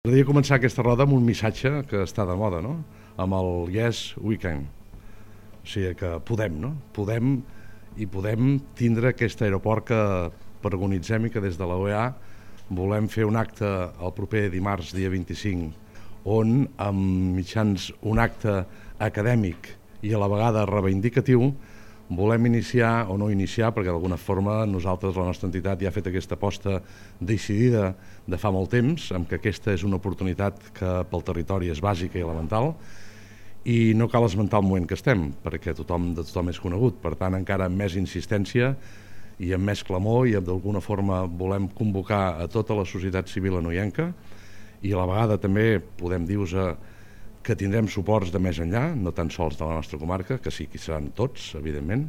M'agradaria començar aquesta roda amb un missatge que està de moda, no? Amb el Yes, we can. O sigui que podem, no? Podem tindre aquest aeroport que preconitzem i que des de la OEA volem fer un acte el proper dimarts, dia 25, on amb mitjans un acte acadèmic i a la vegada reivindicatiu volem iniciar, o no iniciar, perquè d'alguna forma nosaltres, la nostra entitat, ja ha fet aquesta aposta decidida de fa molt temps, amb que aquesta és una oportunitat que pel territori és bàsica i elemental, i no cal esmentar el moment que estem, perquè de tothom és conegut. Per tant, encara amb més insistència i amb més clamor, i d'alguna forma volem convocar a tota la societat civil anoienca, i a la vegada també podem dir-vos que tindrem suports de més enllà, no tan sols de la nostra comarca, que sí que seran tots, evidentment,